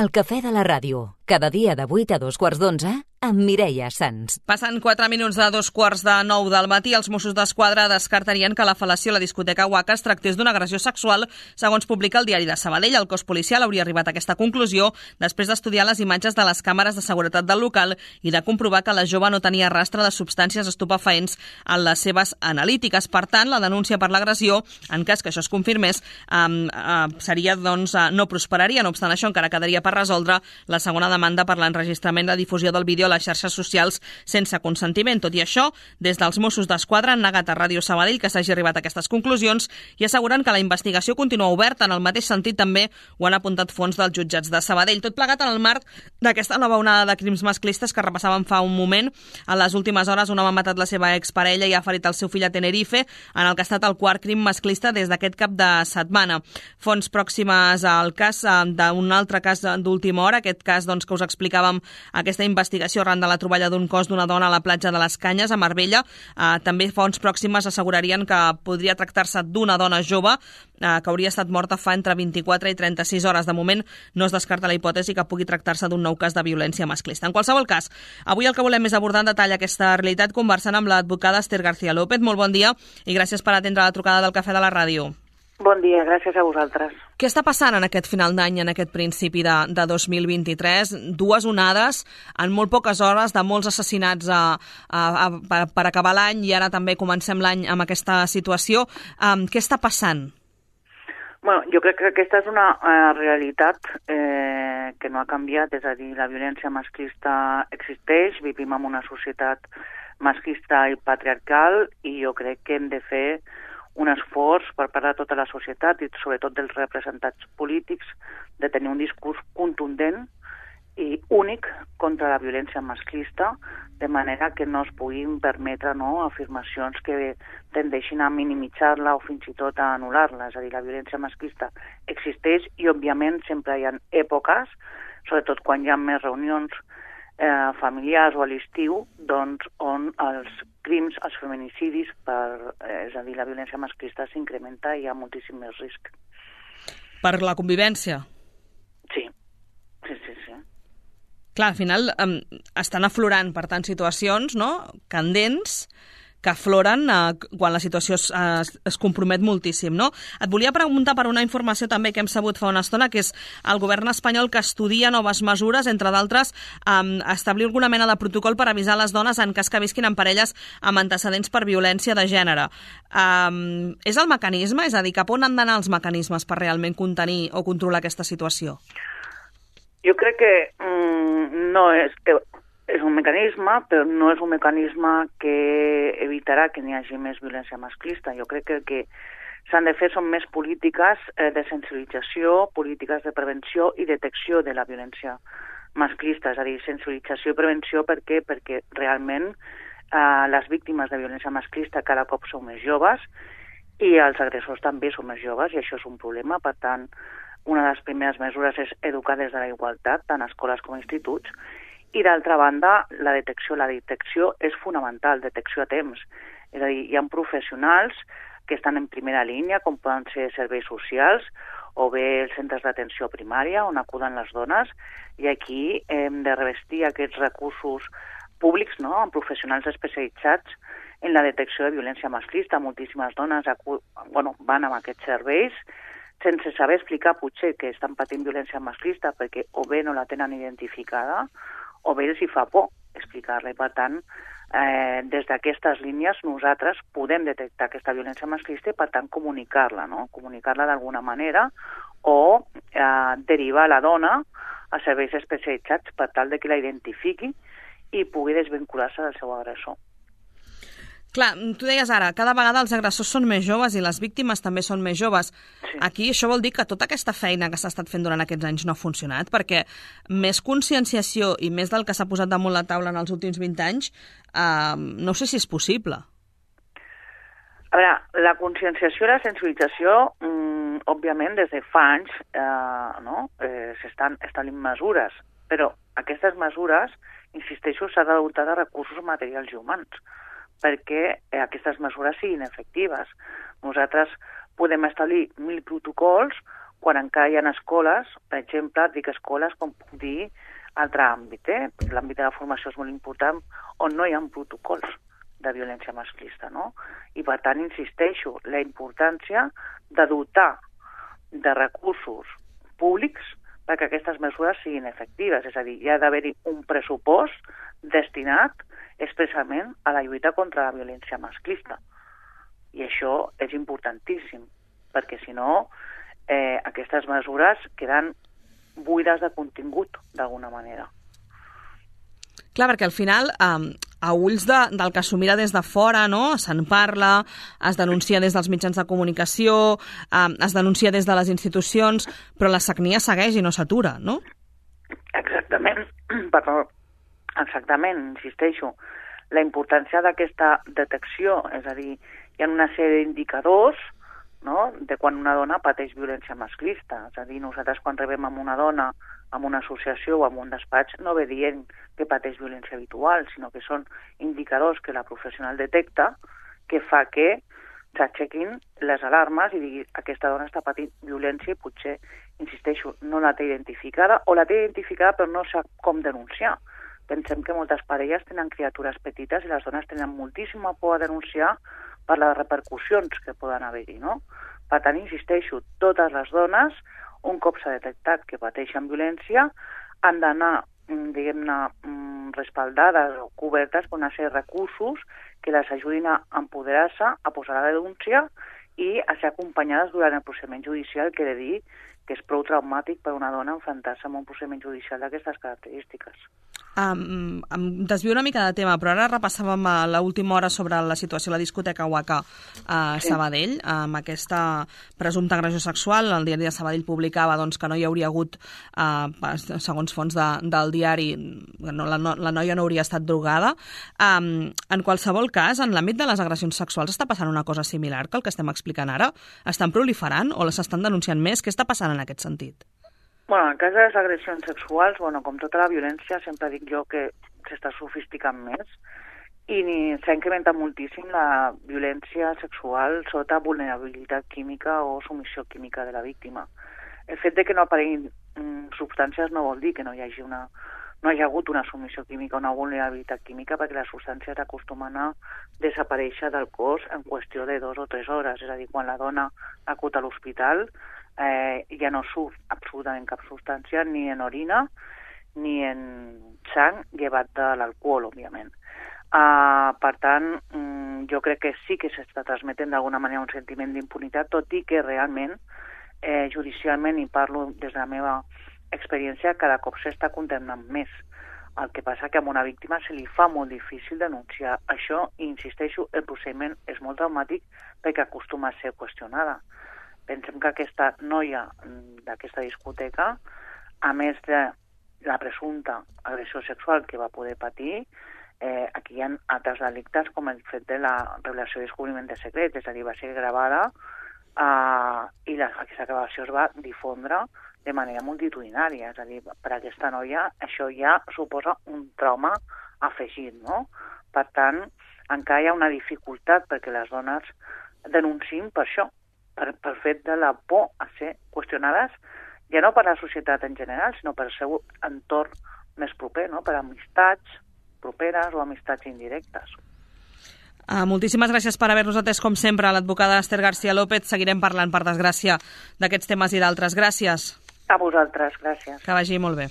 El cafè de la ràdio, cada dia de 8 a 2:15 amb Mireia Sans. Passant 4 minuts de 8:45 del matí, els Mossos d'Esquadra descartarien que la fel·lació a la discoteca Waka es tractés d'una agressió sexual, segons publica el diari de Sabadell. El cos policial hauria arribat a aquesta conclusió després d'estudiar les imatges de les càmeres de seguretat del local i de comprovar que la jove no tenia rastre de substàncies estupefaents en les seves analítiques. Per tant, la denúncia per l'agressió, en cas que això es confirmés, seria, no prosperaria. No obstant això, encara quedaria per resoldre la segona demanda per l'enregistrament i la difusió del vídeo a les xarxes socials sense consentiment. Tot i això, des dels Mossos d'Esquadra han negat a Ràdio Sabadell que s'hagi arribat a aquestes conclusions i asseguren que la investigació continua oberta. En el mateix sentit també ho han apuntat fonts dels jutjats de Sabadell. Tot plegat en el marc d'aquesta nova onada de crims masclistes que repassàvem fa un moment. En les últimes hores un home ha matat la seva exparella i ha ferit el seu fill a Tenerife, en el que ha estat el quart crim masclista des d'aquest cap de setmana. Fonts pròximes al cas d'un altre cas d'última hora, aquest cas que us explicàvem, aquesta investigació arran de la troballa d'un cos d'una dona a la platja de les Canyes, a Marbella. També fonts pròximes assegurarien que podria tractar-se d'una dona jove que hauria estat morta fa entre 24 i 36 hores. De moment no es descarta la hipòtesi que pugui tractar-se d'un nou cas de violència masclista. En qualsevol cas, avui el que volem és abordar en detall aquesta realitat conversant amb l'advocada Esther García López. Molt bon dia i gràcies per atendre la trucada del Cafè de la Ràdio. Bon dia, gràcies a vosaltres. Què està passant en aquest final d'any, en aquest principi de 2023? Dues onades en molt poques hores de molts assassinats per acabar l'any i ara també comencem l'any amb aquesta situació. Què està passant? Bueno, jo crec que aquesta és una realitat que no ha canviat, és a dir, la violència masclista existeix, vivim en una societat masclista i patriarcal i jo crec que hem de fer un esforç per part de tota la societat i sobretot dels representats polítics de tenir un discurs contundent i únic contra la violència masclista, de manera que no es puguin permetre afirmacions que tendeixin a minimitzar-la o fins i tot a anul·lar-la. És a dir, la violència masclista existeix i, òbviament, sempre hi ha èpoques, sobretot quan hi ha més reunions familiars o a l'estiu, on els crims, els feminicidis, és a dir, la violència masclista s'incrementa i hi ha moltíssim més risc. Per la convivència? Sí. Clar, al final estan aflorant, per tant, situacions candents que afloren quan la situació es compromet moltíssim, no? Et volia preguntar per una informació també que hem sabut fa una estona, que és el govern espanyol que estudia noves mesures, entre d'altres, establir alguna mena de protocol per avisar les dones en cas que visquin en parelles amb antecedents per violència de gènere. És el mecanisme? És a dir, cap on han d'anar els mecanismes per realment contenir o controlar aquesta situació? Jo crec que no és un mecanisme, però no és un mecanisme que evitarà que n'hi hagi més violència masclista. Jo crec que el que s'han de fer són més polítiques de sensibilització, polítiques de prevenció i detecció de la violència masclista. És a dir, sensibilització i prevenció perquè realment les víctimes de violència masclista cada cop són més joves i els agressors també són més joves i això és un problema. Per tant, una de les primeres mesures és educar des de la igualtat, tant a escoles com a instituts, i d'altra banda, la detecció és fonamental, detecció a temps. És a dir, hi ha professionals que estan en primera línia, com poden ser serveis socials o bé els centres d'atenció primària on acuden les dones, i aquí hem de revestir aquests recursos públics amb professionals especialitzats en la detecció de violència masclista. Moltíssimes dones van amb aquests serveis sense saber explicar potser que estan patint violència masclista perquè o bé no la tenen identificada o bé els hi fa por explicar-la. Per tant, des d'aquestes línies nosaltres podem detectar aquesta violència masclista i, per tant, comunicar-la, comunicar-la d'alguna manera o derivar la dona a serveis especialitzats per tal de que la identifiqui i pugui desvincular-se del seu agressor. Clar, tu deies ara, cada vegada els agressors són més joves i les víctimes també són més joves. Sí. Aquí això vol dir que tota aquesta feina que s'ha estat fent durant aquests anys no ha funcionat, perquè més conscienciació i més del que s'ha posat damunt la taula en els últims 20 anys, no sé si és possible. A veure, la conscienciació i la sensibilització, òbviament, des de fa anys s'estan establint mesures, però aquestes mesures, insisteixo, s'ha de dotar de recursos materials i humans, perquè aquestes mesures siguin efectives. Nosaltres podem establir 1.000 protocols quan encara hi ha escoles, per exemple, dic escoles com puc dir altre àmbit, l'àmbit de la formació és molt important, on no hi ha protocols de violència masclista, no? I per tant, insisteixo, la importància de dotar de recursos públics perquè aquestes mesures siguin efectives, és a dir, hi ha d'haver-hi un pressupost destinat expressament a la lluita contra la violència masclista. I això és importantíssim, perquè si no, aquestes mesures queden buides de contingut, d'alguna manera. Clar, perquè al final, a ulls del que s'ho mira des de fora, no? Se'n parla, es denuncia des dels mitjans de comunicació, es denuncia des de les institucions, però la sagnia segueix i no s'atura, no? Exactament, perdó. Exactament, insisteixo. La importància d'aquesta detecció, és a dir, hi ha una sèrie d'indicadors, no?, de quan una dona pateix violència masclista. És a dir, nosaltres quan rebem amb una dona en una associació o en un despatx no ve dient que pateix violència habitual, sinó que són indicadors que la professional detecta que fa que s'aixequin les alarmes i digui aquesta dona està patint violència i potser, insisteixo, no la té identificada o la té identificada però no sap com denunciar. Pensem que moltes parelles tenen criatures petites i les dones tenen moltíssima por a denunciar per les repercussions que poden haver-hi, no? Per tant, insisteixo, totes les dones, un cop s'ha detectat que pateixen violència, han d'anar, diguem-ne, respaldades o cobertes per una sèrie de recursos que les ajudin a empoderar-se, a posar la denúncia i a ser acompanyades durant el procediment judicial, que he de dir que és prou traumàtic per una dona enfrontar-se amb un procediment judicial d'aquestes característiques. Em desvio una mica de tema, però ara repassàvem a l'última hora sobre la situació a la discoteca Waka a Sabadell, amb aquesta presumpta agressió sexual. El diari de Sabadell publicava doncs, que no hi hauria hagut, segons fonts del diari, la noia no hauria estat drogada. En qualsevol cas, en l'àmbit de les agressions sexuals està passant una cosa similar que el que estem explicant ara? Estan proliferant o les estan denunciant més? Què està passant en aquest sentit? Bueno, en cas de les agressions sexuals, com tota la violència, sempre dic jo que s'està sofisticant més i s'ha incrementat moltíssim la violència sexual sota vulnerabilitat química o submissió química de la víctima. El fet de que no apareguin substàncies no vol dir que no hi hagi hagut una submissió química o una vulnerabilitat química, perquè les substàncies acostumen a desaparèixer del cos en qüestió de 2 o 3 hores. És a dir, quan la dona acut a l'hospital ja no surt absolutament cap substància, ni en orina ni en sang, llevat de l'alcohol, òbviament. Per tant, jo crec que sí que s'està transmetent d'alguna manera un sentiment d'impunitat, tot i que realment, judicialment, i parlo des de la meva experiència, cada cop s'està condemnant més. El que passa que a una víctima se li fa molt difícil denunciar això i, insisteixo, el procediment és molt traumàtic perquè acostuma a ser qüestionada. Pensem que aquesta noia d'aquesta discoteca, a més de la presumpta agressió sexual que va poder patir, aquí hi ha altres delictes com el fet de la revelació i descobriment de secrets, és a dir, va ser gravada i aquesta gravació es va difondre de manera multitudinària, és a dir, per a aquesta noia això ja suposa un trauma afegit, no? Per tant, encara hi ha una dificultat perquè les dones denunciïn per això, pel fet de la por a ser qüestionades, ja no per la societat en general, sinó per el seu entorn més proper, no? Per amistats properes o amistats indirectes. Moltíssimes gràcies per haver-nos atès, com sempre, a l'advocada Esther García López. Seguirem parlant, per desgràcia, d'aquests temes i d'altres. Gràcies. A vosaltres, gràcies. Que vagi molt bé.